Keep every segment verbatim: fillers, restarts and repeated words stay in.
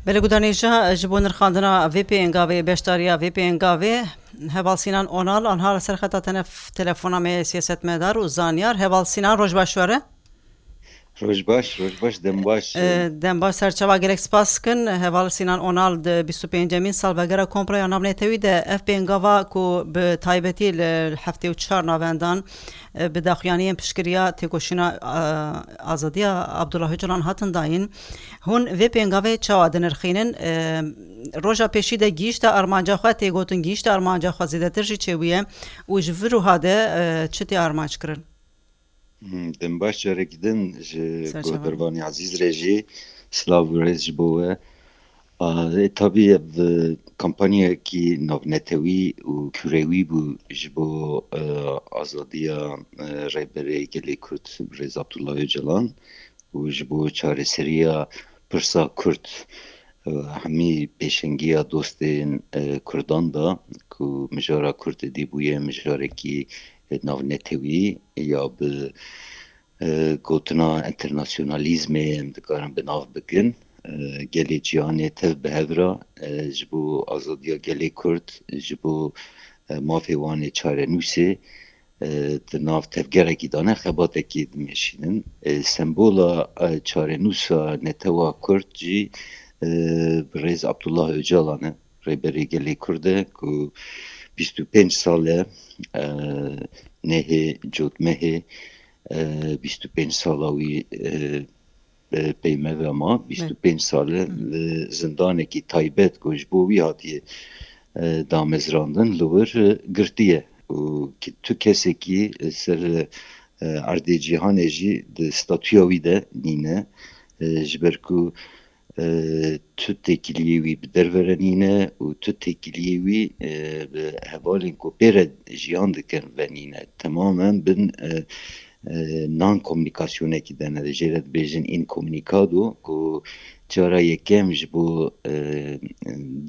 Belê gudanêja ji bo nirxandina vê pêngavê, beşdariya vê pêngavê, Heval Sînan Onal, anha li ser xeta tenef-, telefona me ye siyasetmedar û zanyar. Heval Sînan, roj baş were. Roj baş, roj baş, dem baş. E, dem baş, serçava gelek spas dikin. Heval Sînan Onal di bîst û pêncemîn salvegera Komploya Navnetewî de ev pêngava ku bi taybetî li heftê û çar navendan, e, bi daxuyaniyên piştgiriya têkoşîna, e, azadiya Abdullah Ocalan hatin dayîn. Hûn vê pêngavê çawa dinirxînin? E, roja pêşî de gihîşte armanca xwe, tê gotin gihîşte armanca xwe zêdetir jî çêbûye û ji vir û ha de, e, çi tê armanc kirin? Hmm, dem baş, carekî din ji Serçe guhdarvanê ezîz re jî silav û rêz ji bo we. A, e, tabî ev, e, kampanyayekî navnetewî û kurewî bû ji bo, e, azadiya, e, Rêberê Gelê Kurd Birêz Abdullah Ocalan û ji bo çareseriya pirsa Kurd. E, hemî pêşengiya dostên, e, Kurdan da ku mijara Kurd êdî bûye mijarekî, e, navnetewî ya bi, e, gotina enternasyonalîzmê em dikarin bi nav bikin. E, gelê cîhanê tev bi hev re, e, ji bo azadiya gelê Kurd, ji bo, e, mafê wan ê çarenûsê, e, di nav tevgerekî de ne, xebatekî dimeşînin. E, sembola, e, çarenûsa netewa Kurd jî, e, birêz Abdullah Ocalan e, Rêberê Gelê Kurd e ku bîst û pênc sal e, e, nehê cotmehê, e, bîst û pênc sala wî, e, e, pey me ve ma, Bê. bîst û pênc sal e Hı. li zindanekî taybet ku ji bo wî hatiye, e, damezrandin, li wir, e, girtiye. Û ki-, tu kesekî li ser, e, erdê cîhanê jî di statûya wî de nîne, e, ji ber ku, e, tu têkiliyê wî bi derve re nîne û tu têkiliyê wî, e, bi hevalên ku pê re jiyan dikin ve nîne. Temamen bin, e, e, nan komunîkasyonekî de ne, jê re dibêjin inkomunikado, ku cara yekem ji bo, e,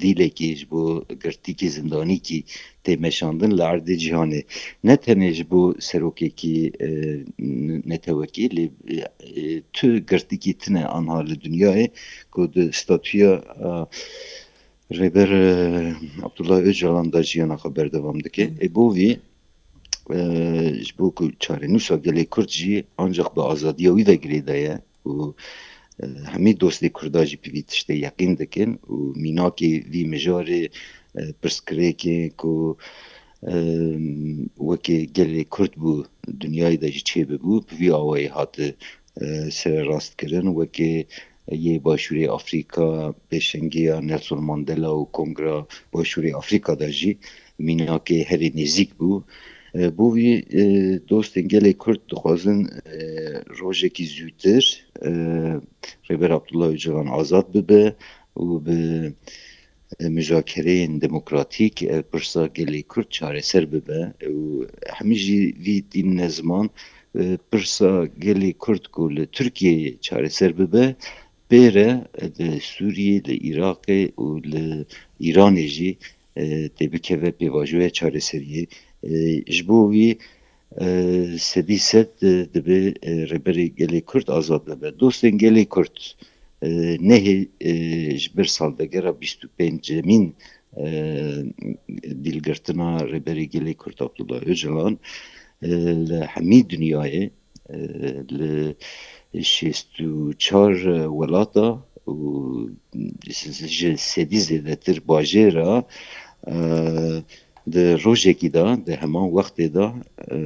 dîlekî, ji bo girtîkî zindanîkî tê meşandin li erdê cîhanê. Ne tenê ji bo serokekî, e, n-, netewekî, lê, e, tu girtîkî tune anha li dinyayê ku di statûya, e, Rêber, e, Abdullah Ocalan da jiyana xwe berdewam dike. Hı. Ê bo vî, e, ji bo ku çarenûsa gelê Kurd jî ancaq bi azadiya wî ve girêdaye û, e, hemî dostê Kurda jî bi vî tiştê yeqîn dikin û mînakê vî mijarê, e, pirsgirêkê ku, e, wekî gelê Kurd bû, dinyayê de jî çêbibû, bi vî awayî hate, e, sererastkirin, wekî yê Başûrê Afrîka, pêşengiya Nelson Mandela û Kongra Başûrê Afrîka de jî mînakê herî nêzîk bû. E, bo vî, e, dostên gelê Kurd dixwazin, e, rojekî zûtir, e, Rêber Abdullah Ocalan azad bibe û bi, e, muzakereyên demokratîk, e, pirsa gelê Kurd çareser bibe û hemî jî vî tînine ziman, e, pirsa gelê Kurd ku li Tirkiyeyê çareser bibe, pê re, e, li Sûriyê, li Iraqê û li Îranê jî, e, tê bikeve pêvajoya çareseriyê. E, ji bo vî, e, sedî sed, e, dibe, e, Rêberê Gelê Kurd azad bibe. Dostên Gelê Kurd, e, nehê, e, ji ber salvegera bîst û pêncemîn, e, dîlgirtina Rêberê Gelê Kurd Abdullah Ocalan, e, li hemî dinyayê, e, li şêst û çar welata û ji sedî zêdetir bajêra, e, di rojekî de, di heman wextê de, e,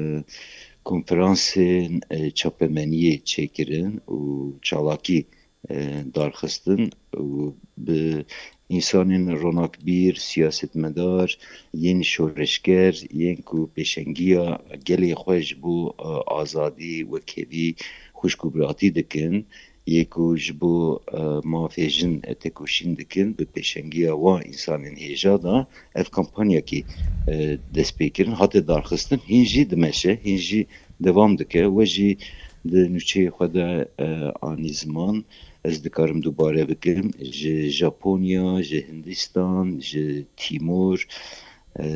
konferansên, e, çapemeniyê çêkirin û çalakî, e, darxistin û bi însanên ronakbîr, siyasetmedar, yên şoreşger, yên ku pêşengiya gelê xwe ji bo, e, azadî, wekhevî, xwişk û biratî dikin, yê ku ji bo, e, mafê jin, e, têkoşîn dikin, bi pêşengiya wan însanên hêja de ev kampanyakî, e, dest pê kirin, hate darxistin, hîn jî dimeşe, hîn jî devam dike. We jî di nûçeyê xwe de, e, anî ziman, ez dikarim dubare bikim, ji Japonya, ji Hindistan, ji Tîmor, e,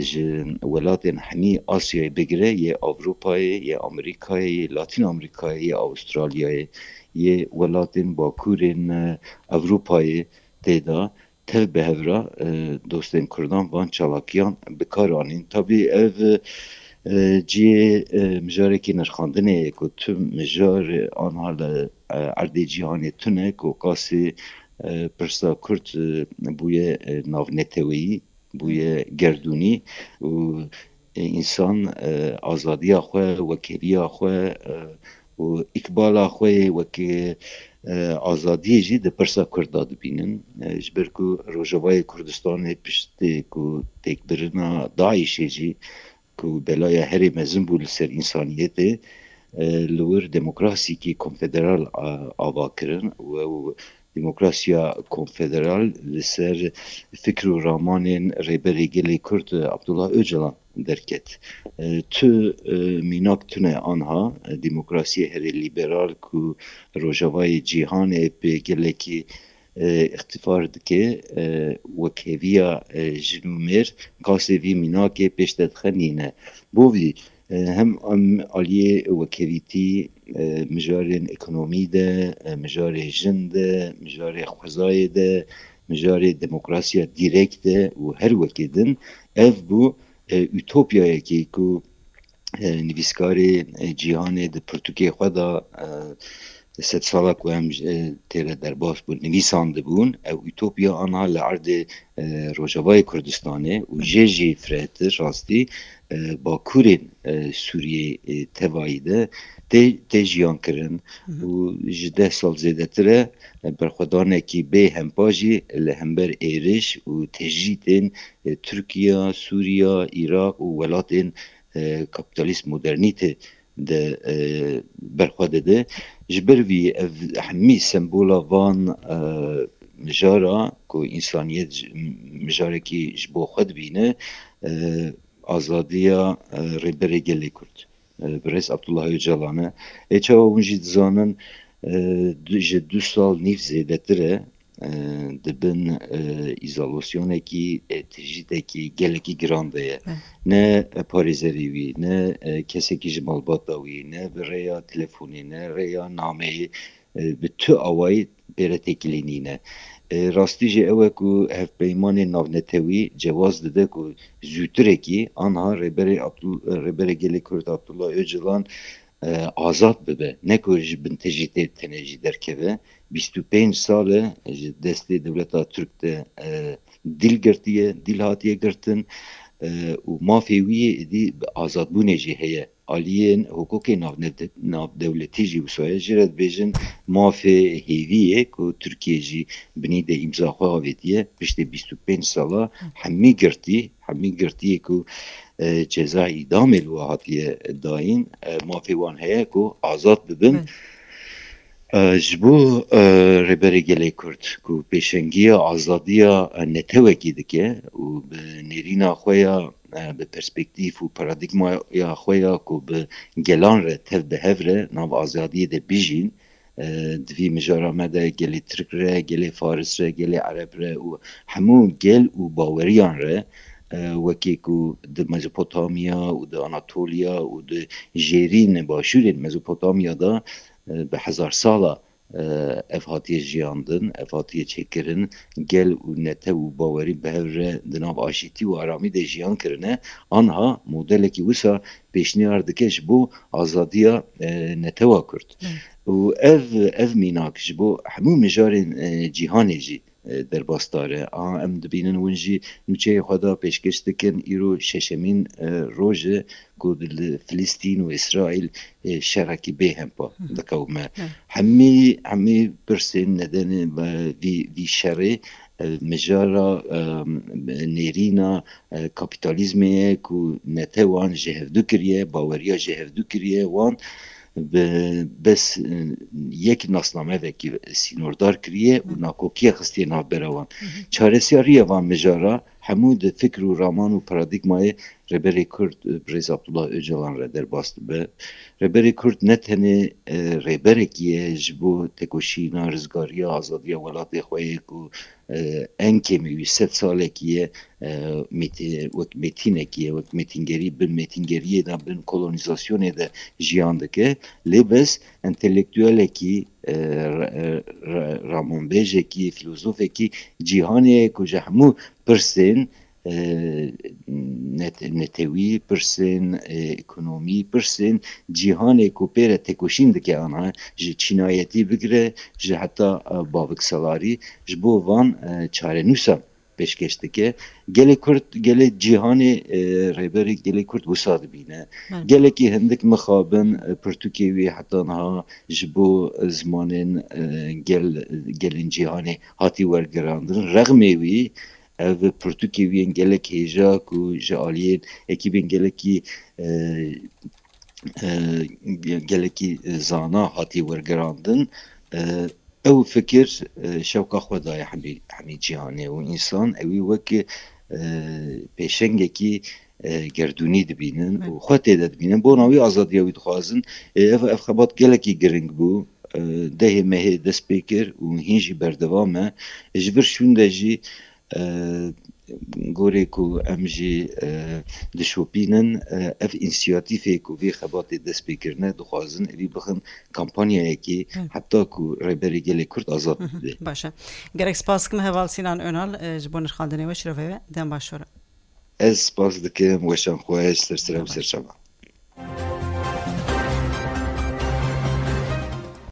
ji welatên hemî Asyayê bigire, yê Ewropayê, yê Amerîkayê, yê Latîn Amerîkayê, yê Awustralyayê, yê welatên bakurên, e, Ewropayê, tê de tev bi hev re, e, dostên Kurdan van çalakiyan bi kar anîn. Tabî ev, e, cihê, e, mijarekî nirxandinê ye ku tu mijar, e, anha li, e, erdê cîhanê tune ku qasî, e, pirsa Kurd, e, bûye, e, navneteweyî, bûye gerdûnî û, e, însan, e, azadiya xwe, wekheviya xwe, e, û îkbala xwe yê wekî, e, azadiyê jî di pirsa Kurd de dibînin. E, ji ber ku Rojavayê Kurdistanê piştî ku têkbirina DAIŞê jî ku belaya herê mezin bû li ser însaniyetê, e, li wir demokrasîkî konfederal, a, ava kirin û ew demokrasiya konfederal li ser fikr û ramanên Rêberê Gelê Kurd Abdullah Ocalan derket. E, tu, e, mînak tune anha, e, demokrasiyê herê lîberal ku Rojavayê cîhanê pê gelekî, e, îxtifar dike, e, wekheviya, e, jin û mêr qasê vî mînakê pêş te dixe nîne. Bo vî, e, hem, em aliyê wekhevîtî, e, mijarên ekonomî de, e, mijarê jin de, mijarê xwezayê de, mijarê demokrasiya dîrekt de û her wekê din ev bû, e, utopyayekî ku, e, nivîskarê, e, cîhanê di pirtûkê xwe de, e, sedsala ku em, e, tê de derbas bûn, nivîsandibûn, ew utopya anha li erdê, e, Rojavayê Kurdistanê û jê jî firehtir rastî, e, bakurên, e, Sûriyê, e, tevayî de tê, tê jiyan kirin û ji deh sal zêdetir e, e, berxwedanekî bê hempa jî li hember êriş û tecrîtên, e, Tirkiye, Sûriye, Iraq û welatên, e, kapîtalîst modernîtê de, e, berxwe dide. Ji ber vî ev hemî sembola van, e, mijara ku însaniyet ji, mijarekî ji bo xwe dibîne, e, azadiya, e, Rêberê Gelê Kurd, e, Birêz Abdullah Ocalan e. Ê çawa hûn jî dizanin, e, du, ji du sal nîv zêdetir e, e, di bin, e, îzolasyonekî, e, tecrîdekî gelekî giran de ye. Evet. Ne parêzerê wî, ne, e, kesekî ji malbata wî, ne bi rêya telefonê, ne rêya nameyê, e, bi tu awayî pê re têkilî nîne. E, rastî jî ew e ku hevpeymanên navnetewî cewaz dide ku zûtirekî anha Rêberê Abdul-, Rêberê Gelê Kurd Abdullah Ocalan, e, azad bibe, ne ku ji bin tecrîtê tenê jî derkeve. Bîst û pênc sal e ji destê dewleta Tirk de, e, dîl girtiye, dîl hatiye girtin, e, û mafê wî êdî bi azadbûnê jî heye. Aliyên hukukê navne-, navdewletî jî wisa ye. Jê re dibêjin mafê hêviyê ku Tirkiye jî binî de îmza xwe avêtiye. Piştê bîst û pênc sala hemî girtî, hemî girtiyê ku, e, ceza îdamê li we hatiye dayîn, e, mafê wan heye ku azad bibin. Belê. E, ji bo, e, Rêberê Gelê Kurd ku pêşengiya azadiya, e, netewekî dike û bi nêrîna xwe ya, e, bi perspektîf û paradîgmaya xwe ya ku bi gelan re tev bi hev re nav azadiyê de bijîn, e, di vî mijara me de gelê Tirk re, gelê Faris re, gelê Ereb re û hemû gel û baweriyan re, e, wekî ku di Mezopotamya û di Anatoliya û di jêrîn başûrên Mezopotamya de, e, bi hezar sala, e, ev hatiye jiyandin, ev hatiye çêkirin, gel û netew û bawerî bi hev re di nav aşîtî û aramî de jiyan kirine, anha modelekî wisa pêşniyar dike ji bo azadiya, e, netewa Kurd. Hı. Û ev, ev mînak ji bo hemû mijarên, e, cîhanê jî, e, derbasdar e. A, em dibînin hûn jî nûçeyê xwe de pêşkêş dikin, îro şeşemîn, e, roj e ku li Filistîn û Îsraîl, e, şerekî bê hempa Hı hı. diqewime. Hı. Hemî, hemî pirsên nedenê ve vî, vî şerê, e, mijara, e, nêrîna, e, kapîtalîzmê ye ku netewan ji hevdu kiriye, baweriya ji hevdu kiriye, wan bi bes, e, yek nasnamevekî sînordar kiriye û Hı. nakokiya xistiye navbera wan. Hı hı. Çareseriya van mijara hemû di fikr û raman û paradîgmayê Rêberê Kurd, e, Birêz Abdullah Ocalan re derbas dibe. Rêberê Kurd ne tenê, e, rêberekî ye ji bo tekoşîna rizgariya azadiya welatê xwe yê ku, e, en kêmî wî sed salekî ye, e, mêtî-, wek mêtînekî ye, wek mêtîngerî, bin mêtîngeriyê de, bin kolonîzasyonê de jiyan dike. Lê bes entelektuelekî, e, re-, re-, ramanbêjekî, filozofekî cîhanê ye ku ji hemû pirsên, e, net-, netewî, pirsên, e, ekonomî, pirsên cîhanê ku pê re têkoşîn dike, ana ji çînayetî bigire ji heta, e, bavikselarî, ji bo van, e, çarenûsan pêşkêş dike. Gelê Kurd, gelê cîhanê, e, rêberê gelê Kurd wisa dibîne. Belê. Gelekî hindik mixabin, e, pirtûkê wî heta niha ji bo zimanên, e, gel, gelên cîhanê hatî wergerandin. Rexmê wî, ev pirtûkê wî yên gelek hêja ku ji aliyên ekîbên gelekî, e, e, ge-, gelekî zana hatî wergerandin. E, ew fikir, e, şewqa xwe daye hemî, hemî cîhanê û însan ewî wek, e, pêşengekî, e, gerdûnî dibînin û Evet. xwe tê de dibînin. Bona wî azadiya wî dixwazin. E, ev, ev xebat gelekî giring bû. E, dehê mehê dest pê kir û hîn jî berdewam e. Ji vir şûnde jî, e, gorê ku em jî, e, dişopînin, e, ev însiyatîfê ku vê xebatê dest pê kirine, dixwazin evî bixin kampanyayekê Hı. heta ku Rêberê Gelê Kurd azad Hı hı. bibe. Baş e. Gelek spas dikim Heval Sînan Önal, e, ji bo nirxandinê we, şirovê we. Dem baş we re. Ez spas dikim, weşan xweş, ser sira û Dem baş. ser çava.